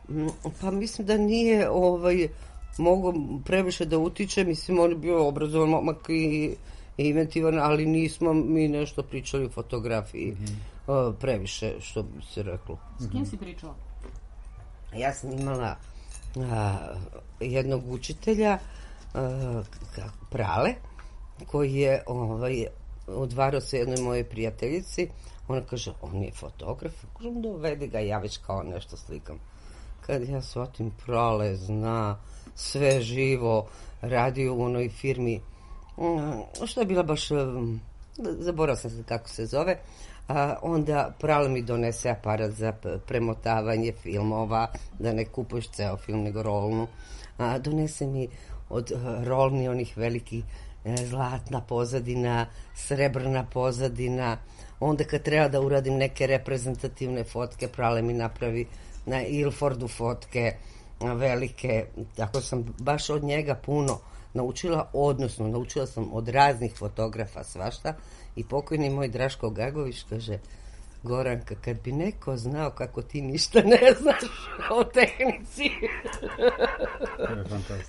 Pa mislim da nije ovaj, mogo previše da utiče, mislim on je bio obrazovan momak i, i inventivan, ali nismo mi nešto pričali o fotografiji mm-hmm. previše, što bi se reklo. S kim si pričala? Ja sam imala a, jednog učitelja, Uh, Prale, koji je ovaj, odvarao se jednoj moje prijateljici. Ona kaže, on je fotograf. Kažem, dovedi ga, ja već kao nešto slikam. Kad ja shvatim, Prale zna sve živo, radio u onoj firmi, um, što je bila baš, um, zaboravila sam se kako se zove, a onda Prale mi donese aparat za premotavanje filmova, da ne kupuješ ceo film, nego rolnu. A, donese mi od rolni onih velikih e, zlatna pozadina, srebrna pozadina. Onda kad treba da uradim neke reprezentativne fotke, Prale mi napravi na Ilfordu fotke velike. Tako sam baš od njega puno naučila, odnosno naučila sam od raznih fotografa svašta. I pokojni moj Draško Gagović kaže, Goranka, kad bi neko znao kako ti ništa ne znaš o tehnici.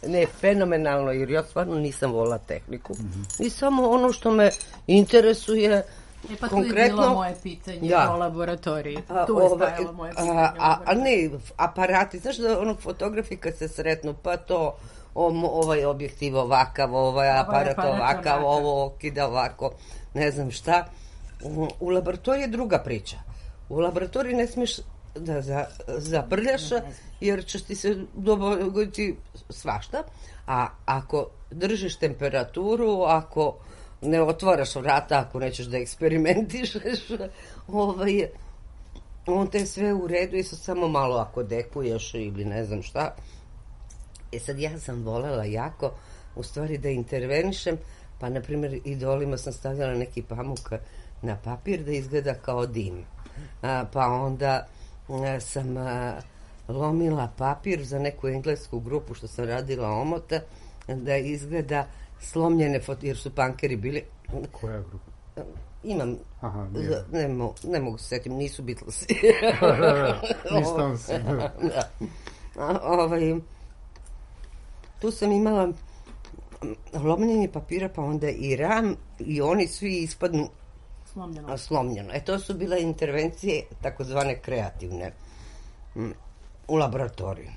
Ne, fenomenalno, jer ja stvarno nisam volila tehniku. Mm-hmm. I samo ono što me interesuje, e pa konkretno... tu je bilo moje pitanje ja. O laboratoriji. A, tu je stajalo moje pitanje. A, a, a ne, aparati, znaš da onog fotografi kad se sretnu, pa to ovaj objektiv ovakav, ovaj aparat ovakav, ovo okida ovako, ne znam šta. U laboratoriji je druga priča. U laboratoriji ne smiješ da za, zaprljaš, jer ćeš ti se dogoditi svašta. A ako držiš temperaturu, ako ne otvaraš vrata, ako nećeš da eksperimentišeš, ovaj, on te sve u redu i samo malo ako dekuješ ili ne znam šta, E sad, ja sam volela jako, u stvari, da intervenišem, pa, na primjer, idolima sam stavljala neki pamuk na papir da izgleda kao dim. A, pa onda a, sam a, lomila papir za neku englesku grupu što sam radila omota, da izgleda slomljene foto, jer su punkeri bili... Koja grupa? Imam, Aha, ne, mo, ne mogu se setim, nisu Beatlesi. Nisam se. Da. A, ovaj, tu sam imala lomljenje papira, pa onda i ram, i oni svi ispadnu slomljeno. slomljeno. E, to su bile intervencije, takozvane kreativne, m, u laboratoriju.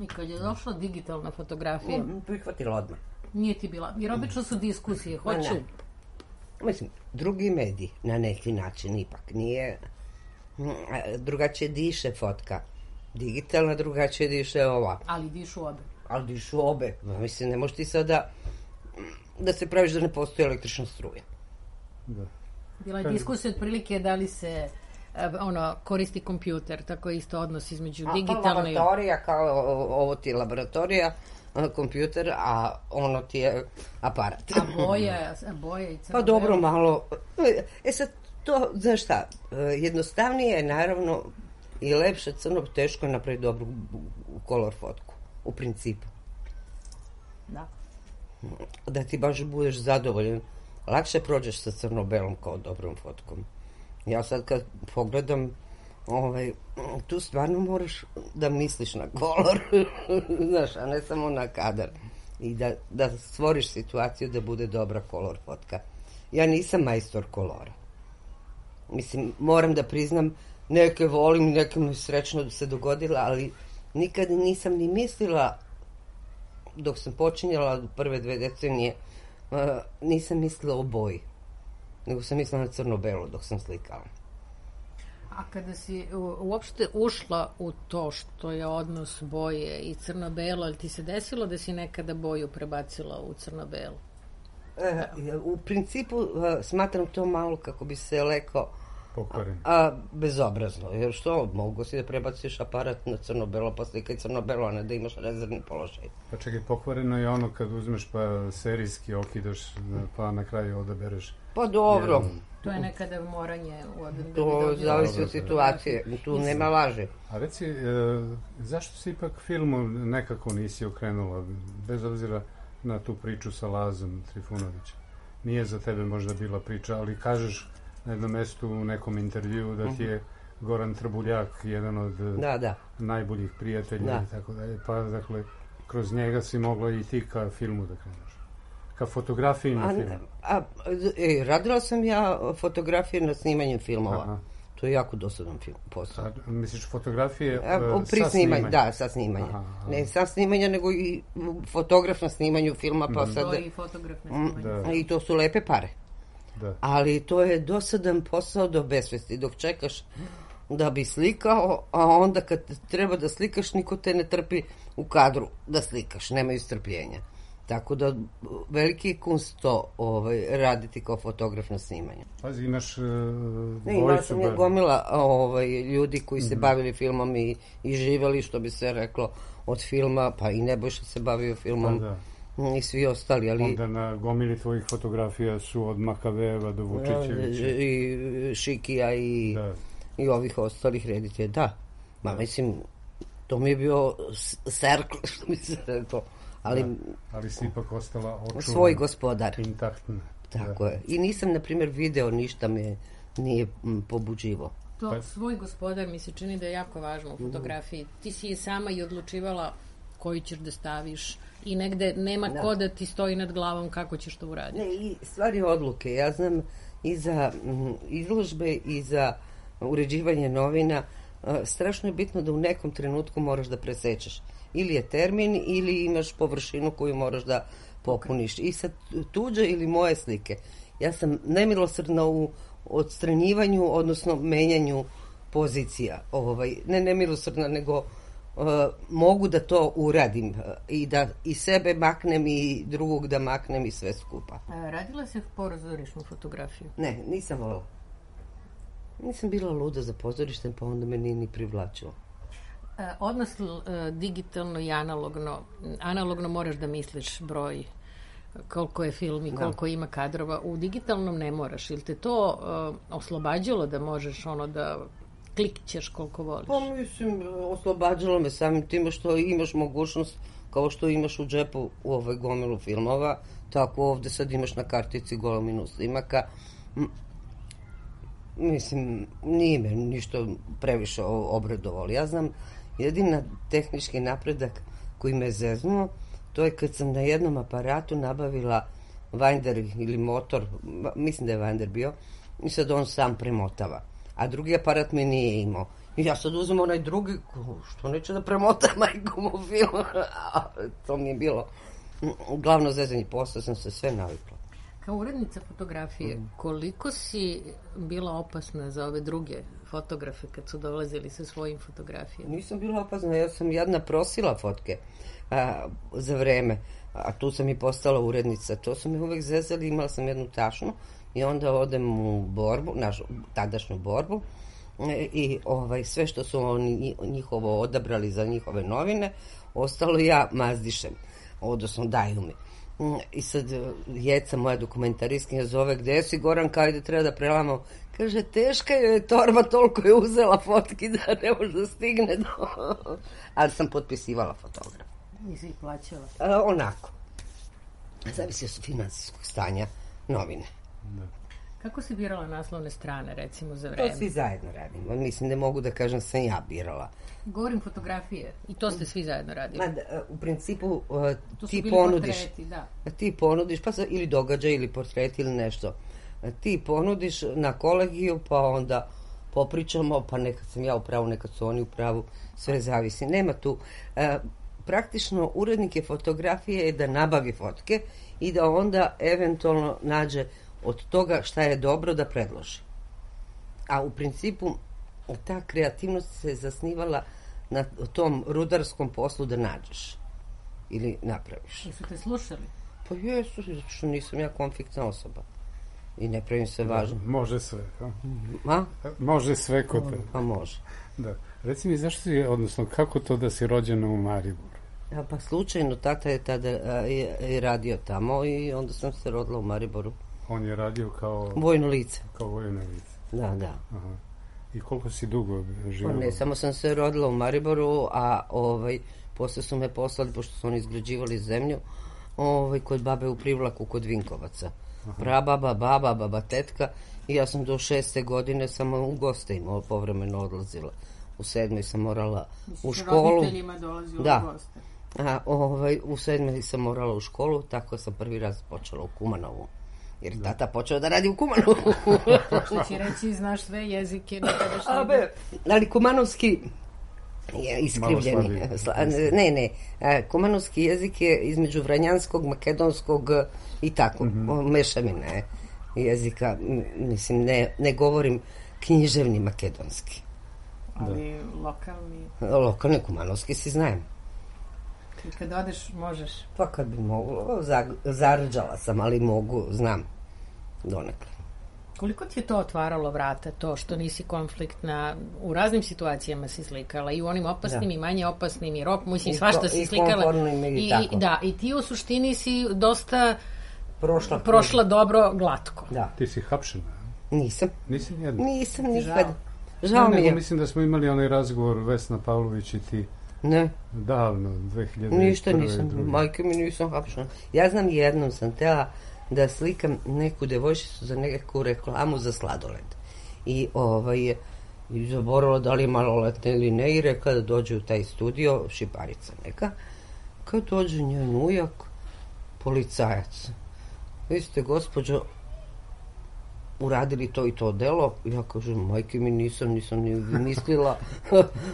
I kad je došla digitalna fotografija... Mm, prihvatila odmah. Nije ti bila, jer obično su diskusije, hoću... Mislim, drugi medij, na neki način, ipak nije... Drugačije diše fotka. Digitalna, drugačije diše ova. Ali dišu obe. Ali dišu obe. Mislim, ne možeš ti sada da se praviš da ne postoji električna struja. Da. Bila je diskusija otprilike da li se ono, koristi kompjuter, tako je isto odnos između a, digitalne... A laboratorija, kao ovo ti je laboratorija, kompjuter, a ono ti je aparat. A boja, a boja i crno. Pa dobro, malo... E sad, to, znaš šta, jednostavnije je, naravno, i lepše crno, teško je napraviti dobru kolor fotku, u principu. Da. Da ti baš budeš zadovoljan. Lakše prođeš sa crno-belom kao dobrom fotkom. Ja sad kad pogledam, ovaj, tu stvarno moraš da misliš na kolor, znaš, a ne samo na kadar. I da, da stvoriš situaciju da bude dobra kolor fotka. Ja nisam majstor kolora. Mislim, moram da priznam, neke volim, neke mi srećno se dogodila, ali nikad nisam ni mislila, dok sam počinjala prve dve decenije, uh, nisam mislila o boji, nego sam mislila na crno-belo dok sam slikala. A kada si uopšte ušla u to što je odnos boje i crno-belo, ali ti se desilo da si nekada boju prebacila u crno-belo? E, u principu uh, smatram to malo, kako bi se rekao, pokvaren. A, a bezobrazno, jer što, mogu si da prebaciš aparat na crno-belo, pa slikaj crno-belo, a ne da imaš rezervni položaj. Pa čekaj, pokvareno je ono kad uzmeš pa serijski okidaš, pa na kraju odabereš. Pa dobro. Jedan. To je nekada moranje u odem. To zavisi od situacije, tu Mislim. nema laže. A reci, e, zašto se ipak filmu nekako nisi okrenula, bez obzira na tu priču sa Lazom Trifunovićem? Nije za tebe možda bila priča, ali kažeš na jednom mestu u nekom intervju da ti je Goran Trbuljak jedan od da, da. najboljih prijatelja da. i tako dalje. Pa, dakle, kroz njega si mogla i ti ka filmu da kreneš. Ka fotografiji na filmu. A, e, radila sam ja fotografije na snimanjem filmova. Aha. To je jako dosadan film, posao. A, misliš fotografije a, uh, pri sa snimanju? Da, sa snimanja. Aha, aha. Ne sa snimanja, nego i fotograf na snimanju filma. Pa mm. sad, to i fotograf na snimanju. Da. I to su lepe pare. Da. Ali to je dosadan posao do besvesti. Dok čekaš da bi slikao, a onda kad treba da slikaš, niko te ne trpi u kadru da slikaš. Nemaju strpljenja. Tako da veliki je kunst to ovaj, raditi kao fotograf na snimanju. Pazi, imaš uh, ne, imala sam je gomila ovaj, ljudi koji se mm-hmm. bavili filmom i, i živeli, što bi se reklo, od filma, pa i Nebojša se bavio filmom. Pa, da. I svi ostali, ali... Onda na gomili tvojih fotografija su od Makaveva do Vučićevića. I Šikija i, i ovih ostalih reditelja, da. Ma, mislim, to mi je bio serkl, što mi se rekao. Ali, da, ali si ipak ostala očuvan. Svoj gospodar. Intaktna. Tako da. je. I nisam, na primjer, video ništa me nije m, pobuđivo. To pa... svoj gospodar mi se čini da je jako važno u fotografiji. Ti si je sama i odlučivala koju ćeš da staviš i negde nema da. Ko da ti stoji nad glavom kako ćeš to uraditi. Ne, i stvari odluke. Ja znam i za m, izložbe i za uređivanje novina a, strašno je bitno da u nekom trenutku moraš da presečeš. Ili je termin, ili imaš površinu koju moraš da popuniš. I sad tuđe ili moje slike. Ja sam nemilosrdna u odstranjivanju, odnosno menjanju pozicija. Ovaj, ne nemilosrdna, nego uh, mogu da to uradim uh, i da i sebe maknem i drugog da maknem i sve skupa. A radila si pozorišnu fotografiju? Ne, nisam volila. Nisam bila luda za pozorištem, pa onda me nije ni privlačilo. Odnos digitalno i analogno. Analogno moraš da misliš broj, koliko je film i koliko da. Ima kadrova. U digitalnom ne moraš. Ili te to uh, oslobađalo da možeš ono da klikćeš koliko voliš? Pa mislim, oslobađalo me samim tim što imaš mogućnost, kao što imaš u džepu u ovoj gomilu filmova, tako ovde sad imaš na kartici gominu snimaka. Mislim, nije me ništa previše obradovalo. Ja znam, jedina tehnički napredak koji me zeznuo, to je kad sam na jednom aparatu nabavila Winder ili motor, mislim da je Winder bio, i sad on sam premotava. A drugi aparat me nije imao. I ja sad uzem onaj drugi, što neće da premota majkom u film. To mi je bilo glavno zezanje, posle sam se sve navikla. Kao urednica fotografije, koliko si bila opasna za ove druge fotografe kad su dolazili sa svojim fotografijama? Nisam bila opasna, ja sam jedna prosila fotke a, za vreme, a tu sam i postala urednica. To su mi uvek zezali, imala sam jednu tašnu i onda odem u borbu, našu tadašnju borbu, i ovaj, sve što su oni njihovo odabrali za njihove novine, ostalo ja mazdišem, odnosno daju mi. I sad Jeca, moja dokumentariskinja, zove, gde si Goran, kao ide treba da prelamo. Kaže, teška je torba, toliko je uzela fotki da ne može da stigne do... Ali sam potpisivala fotograf. Nisi ih plaćala? A, onako. Zavisi od finansijskog stanja novine. Da. Kako si birala naslovne strane, recimo, za vreme? To svi zajedno radimo. Mislim, ne mogu da kažem sam ja birala. Govorim fotografije. I to ste svi zajedno radili? Ma, da, u principu uh, ti ponudiš. Portreti, da. Ti ponudiš, pa ili događaj, ili portret, ili nešto. Ti ponudiš na kolegiju, pa onda popričamo, pa nekad sam ja u pravu, nekad su oni u pravu, sve zavisi. Nema tu. Uh, praktično, urednike fotografije je da nabavi fotke i da onda eventualno nađe od toga šta je dobro da predloži. A u principu ta kreativnost se zasnivala na tom rudarskom poslu da nađeš ili napraviš. Jesu te slušali? Pa jesu, što nisam ja konfliktna osoba i ne pravim se važno. Da, može sve. A? A? Može sve kod te. Pa može. Da. Reci mi, zašto si, odnosno, kako to da si rođena u Mariboru? A, pa slučajno, tata je tada a, je, je radio tamo i onda sam se rodila u Mariboru. On je radio kao... Vojno lice. Kao vojno lice. Da, da. Aha. I koliko si dugo živjela? Pa ne, samo sam se rodila u Mariboru, a ovaj, posle su me poslali, pošto su oni izgrađivali zemlju, ovaj, kod babe u Privlaku, kod Vinkovaca. Prababa, baba, baba, tetka, i ja sam do šeste godine samo u goste imala, povremeno odlazila. U sedmoj sam morala u školu. Roditeljima dolazila da. U goste. A, ovaj, u sedmoj sam morala u školu, tako sam prvi raz počela u Kumanovu. Jer da. Tata počeo da radi u Kumanovu. Što će reći, znaš sve jezike. A be, ali kumanovski je iskrivljeni. Ne, ne. Kumanovski jezik je između vranjanskog, makedonskog i tako. Mm-hmm. Mešavine jezika. Mislim, ne, ne govorim književni makedonski. Ali da. Lokalni? Lokalni kumanovski si znajem. I kad odeš, možeš? Pa kad bi mogla, zarđala sam, ali mogu, znam, donekle. Koliko ti je to otvaralo vrata, to što nisi konfliktna, u raznim situacijama si slikala, i u onim opasnim, da. I manje opasnim, i rock, mislim, svašta si slikala. I, i, i da, i ti u suštini si dosta prošla, prošla dobro, glatko. Da. Ti si hapšena? Nisam. Nisi nijedno? Nisam nikad. Žao, Žao ne, mi je. Nego mislim da smo imali onaj razgovor Vesna Pavlović i ti. Ne. Davno, dve hiljade prve. Ništa nisam, majke mi nisam hapšena. Ja znam, jednom sam tela da slikam neku devojčicu za neku reklamu za sladoled. I ovaj, i zaboravila da li je maloletna ili ne, i rekla da dođe u taj studio, šiparica neka. Kad dođe njen ujak, policajac. Vi ste, gospođo, uradili to i to delo. Ja kažem, majke mi nisam, nisam ni mislila.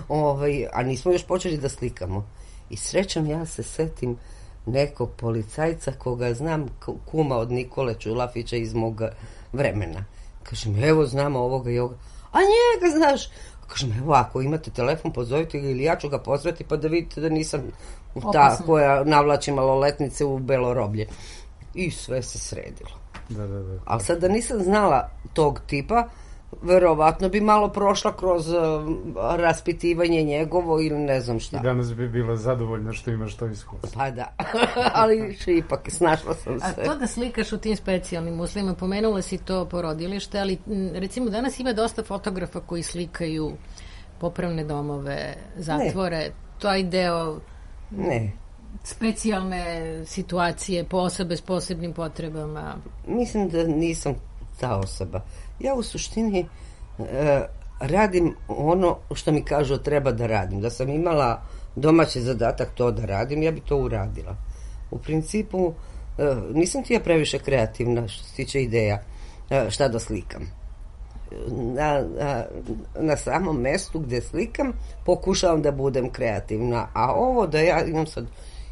ovaj, a nismo još počeli da slikamo. I srećom, ja se setim nekog policajca koga znam, kuma od Nikole Čulafića iz moga vremena. Kažem, evo, znamo ovoga i ovoga. A njega znaš? Kažem, evo, ako imate telefon, pozovite ga, ili ja ću ga pozvati pa da vidite da nisam ta koja navlači maloletnice u belo roblje. I sve se sredilo. Da, da, da. Ali sad da nisam znala tog tipa, verovatno bi malo prošla kroz uh, raspitivanje njegovo ili ne znam šta. I danas bi bila zadovoljna što imaš to iskustvo. Pa da, ali ipak snašla sam se. A to da slikaš u tim specijalnim uslovima, pomenula si to porodilište, ali recimo danas ima dosta fotografa koji slikaju popravne domove, zatvore, ne. Taj deo ne. Specijalne situacije po osobe s posebnim potrebama. Mislim da nisam ta osoba. Ja u suštini e, radim ono što mi kažu treba da radim. Da sam imala domaći zadatak to da radim, ja bi to uradila. U principu e, nisam ti ja previše kreativna što se tiče ideja e, šta da slikam. Na, na, na samom mestu gde slikam pokušavam da budem kreativna, a ovo da ja imam sad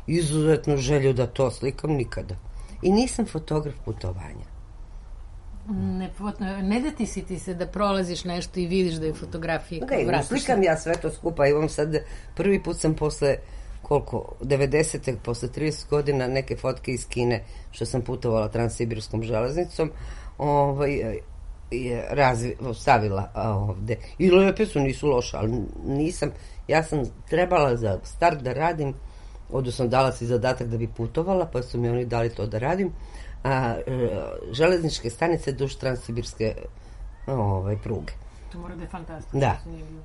izuzetnu želju da to slikam nikada. I nisam fotograf putovanja. Ne, ne deti si ti se da prolaziš nešto i vidiš da je fotografija kao vratiš. Ne, slikam ja sve to skupa. Imam sad, prvi put sam posle koliko, devedesete posle trideset godina neke fotke iz Kine što sam putovala transsibirskom železnicom ovaj, je razvi, stavila ovde. I lepe su, nisu loše, ali nisam, ja sam trebala za start da radim, odnosno dala si zadatak da bi putovala, pa su mi oni dali to da radim, a, železničke stanice duž transsibirske ovaj, pruge. To mora da je fantastično. Da,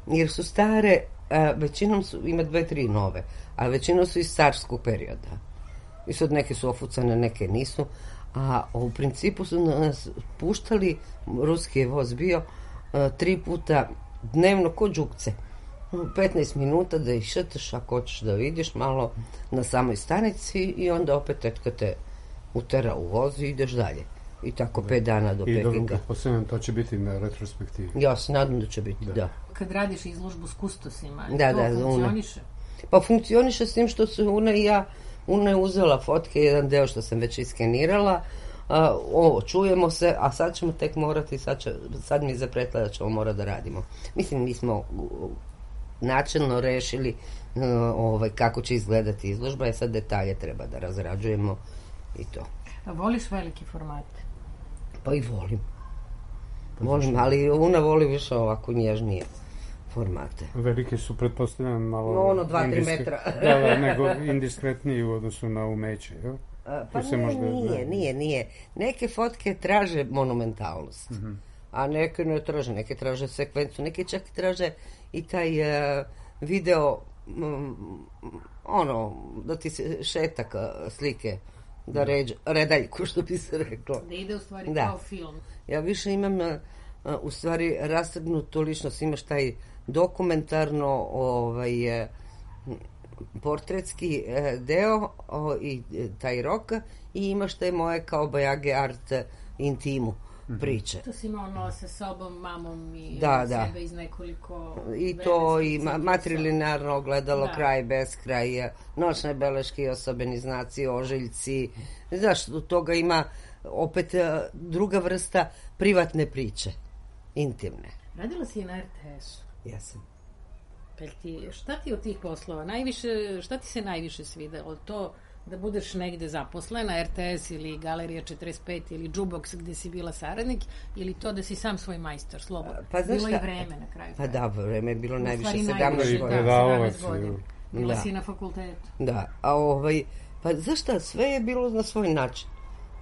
jer su stare, a, većinom su, ima dve, tri nove, a većinom su iz carskog perioda. I sad neke su ofucane, neke nisu, a u principu su nas puštali, ruski je voz bio, a, tri puta dnevno ko džukce. petnaest minuta da ih šetaš ako hoćeš da vidiš malo na samoj stanici i onda opet tetka te utera u voz i ideš dalje. I tako pet dana do I Pekinga. I dobro, pretpostavljam, to će biti na retrospektivi. Ja se nadam da će biti, da. da. Kad radiš izložbu s kustosima, da, to da, funkcioniše? Una. Pa funkcioniše s tim što su Una i ja, Una je uzela fotke, jedan deo što sam već iskenirala, a, ovo, čujemo se, a sad ćemo tek morati, sad, će, sad mi je zapretila da ćemo morati da radimo. Mislim, mi smo načelno rešili uh, ovaj, kako će izgledati izložba, i sad detalje treba da razrađujemo i to. A voliš veliki format? Pa i volim. Volim, ali Una voli više ovako nježnije formate. Velike su, pretpostavljam, malo... No, ono, dva, tri metra. Da, da, nego indiskretniji u odnosu na umeće, jel? A, pa ne, možda, nije, ne. nije, nije. Neke fotke traže monumentalnost, mm-hmm. a neke ne traže, neke traže sekvencu, neke čak traže i taj uh, video, um, ono, da ti se šetak slike, da ređe, redaljku, što bi se reklo. Da ide u stvari da. Kao film. Ja više imam, uh, u stvari, rastegnutu ličnost, imaš taj dokumentarno, ovaj, uh, portretski uh, deo uh, i uh, taj rok, i imaš taj moje kao bajage art uh, intimu. Priče. To si imao ono sa sobom, mamom i da, sebe da. iz nekoliko... I to, i ma- matrilinarno ogledalo, da. Kraj, beskraj, noćne beleške i osobeni znaci, ožiljci. Znaš, od toga ima opet druga vrsta privatne priče, intimne. Radila si i na er te esu. Jesam. Ti, šta ti od tih poslova najviše, šta ti se najviše svidelo? To da budeš negde zaposlena, er te es ili Galerija četrdeset pet ili Jukebox gde si bila saradnik, ili to da si sam svoj majstor, slobodno? Pa, bilo i vreme na kraju. Pa da, vreme je bilo u najviše sedamnaest godina. Bila da. si na fakultetu. Da, a ovaj, pa zašto, sve je bilo na svoj način.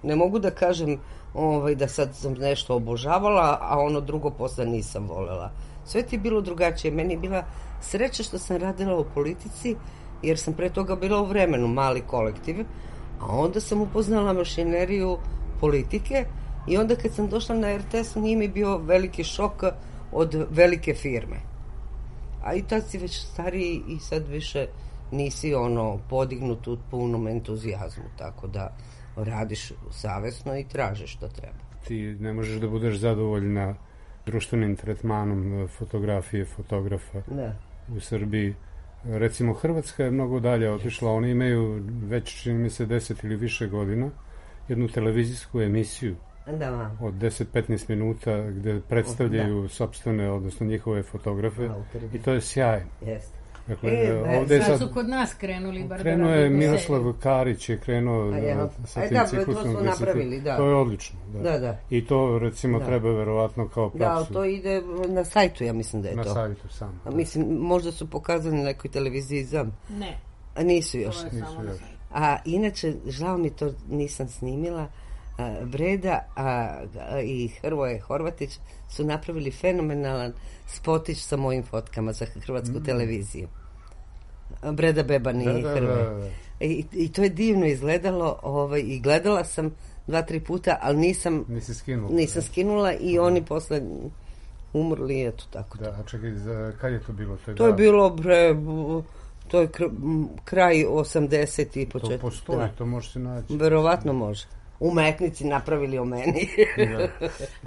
Ne mogu da kažem ovaj, da sad sam nešto obožavala, a ono drugo posle nisam volela. Sve ti je bilo drugačije. Meni je bila sreća što sam radila u politici, jer sam pre toga bila u Vremenu, mali kolektiv, a onda sam upoznala mašineriju politike i onda kad sam došla na er te es, nije mi bio veliki šok od velike firme. A i tad si već stariji i sad više nisi ono podignut u punom entuzijazmu, tako da radiš savesno i tražiš što treba. Ti ne možeš da budeš zadovoljna društvenim tretmanom fotografije, fotografa ne. U Srbiji. Recimo, Hrvatska je mnogo dalje otišla, oni imaju već, čini mi se, deset ili više godina, jednu televizijsku emisiju da, od deset do petnaest minuta gde predstavljaju da. Sopstvene, odnosno njihove fotografe. Autori. I to je sjaj. Jeste. Dakle, e, ovde sad su kod nas krenuli. Bar krenuo je Miroslav Karić, je krenuo ja. sa tim da, ciklusom. To smo napravili, da. To je odlično. Da. Da, da. I to, recimo, da. treba verovatno kao praksu. Da, to ide na sajtu, ja mislim da je na to. Na sajtu sam. Da. Mislim, možda su pokazali na nekoj televiziji znam. Ne. A nisu još. Nisu još. A inače, žao mi to nisam snimila, a, Breda a, a, i Hrvoje Horvatić su napravili fenomenalan spotić sa mojim fotkama za hrvatsku mm. televiziju. Breda Beban i da, da, Hrvoje. Da, da. I, I to je divno izgledalo, ovaj, i gledala sam dva, tri puta, ali nisam Nisi skinula. nisam skinula i da. Oni posle umrli, eto tako. Da, a čekaj, za, kad je to bilo? To je, to je bilo, bre, to je kr, kraj osamdeset i početak. To postoji, da. To može se naći. Verovatno može. Umetnici napravili o meni. Da.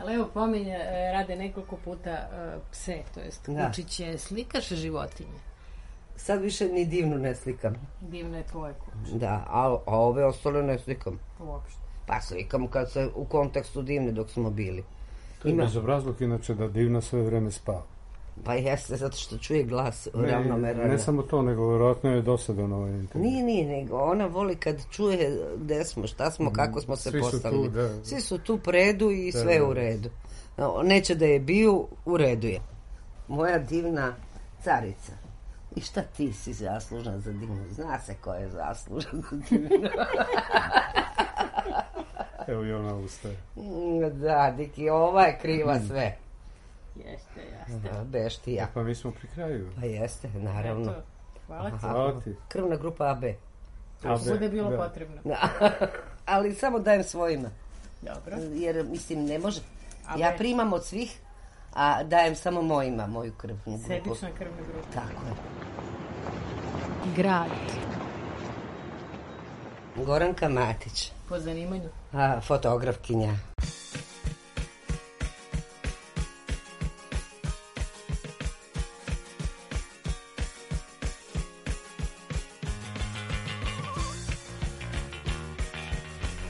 Ali evo pominje, rade nekoliko puta uh, pse, to jest kučiće, slikaš životinje? Sad više ni divnu ne slikam. Divno je tvoje kuće. Da, a, a ove ostale ne slikam. Uopšte. Pa slikam kad se u kontekstu divne dok smo bili. To je bezobrazluk inače da divna sve vreme spava. Pa jeste, zato što čuje glas ravnomeran. Ne samo to, nego vjerojatno je dosadan ovaj intervju. Nije, nije, nego ona voli kad čuje gde smo, šta smo, mm, kako smo se svi postavili. Su tu, da. Svi su tu po redu i da, sve da. u redu. Neće da je bio, u redu je. Moja divna carica. I šta ti si zaslužna za divnu? Zna se ko je zaslužan za divnu. Evo i ona ustaje. Da, Diki, ova je kriva sve. Jeste, jeste. Beštija. Pa mi smo pri kraju. Pa jeste, naravno. Eto, hvala ti. Hvala ti. Krvna grupa A B. To bude bilo da. Potrebno. Da. Ali samo dajem svojima. Dobro. Jer, mislim, ne može. A ja primam od svih, a dajem samo mojima, moju krvnu grupu. Sebična krvna grupa. Tako je. Grad. Goranka Matić. Po zanimanju? A, fotografkinja.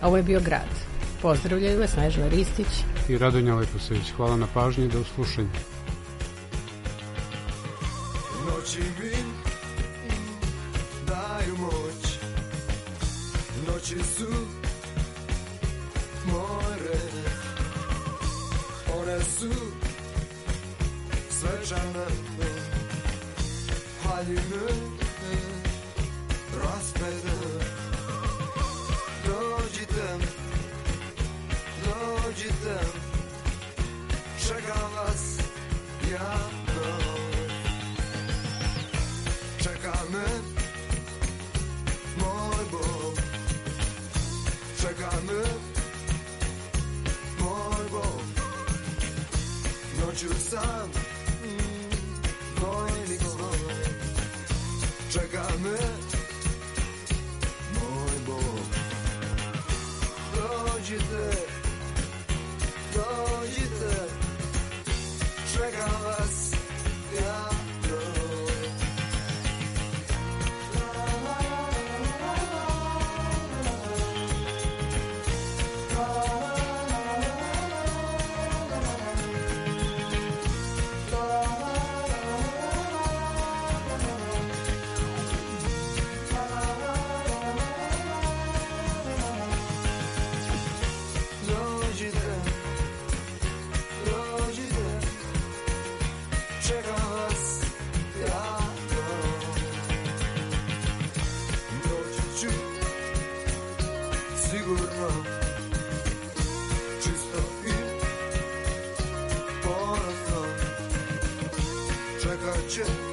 Ovo je bio Grad. Pozdravljaju vas Snežana Ristić i Radonja Leposević. Hvala na pažnji i do slušanja. Noći mi daju moć, noći su more, one su svečane, haljine raspede. Dođite, dođite, čekam vas, ja čeka me moj Bog, čeka me moj Bog, noću sam vojnik svoj, čeka me moj Bog. Dođite, dođite, čekam vas, ja check.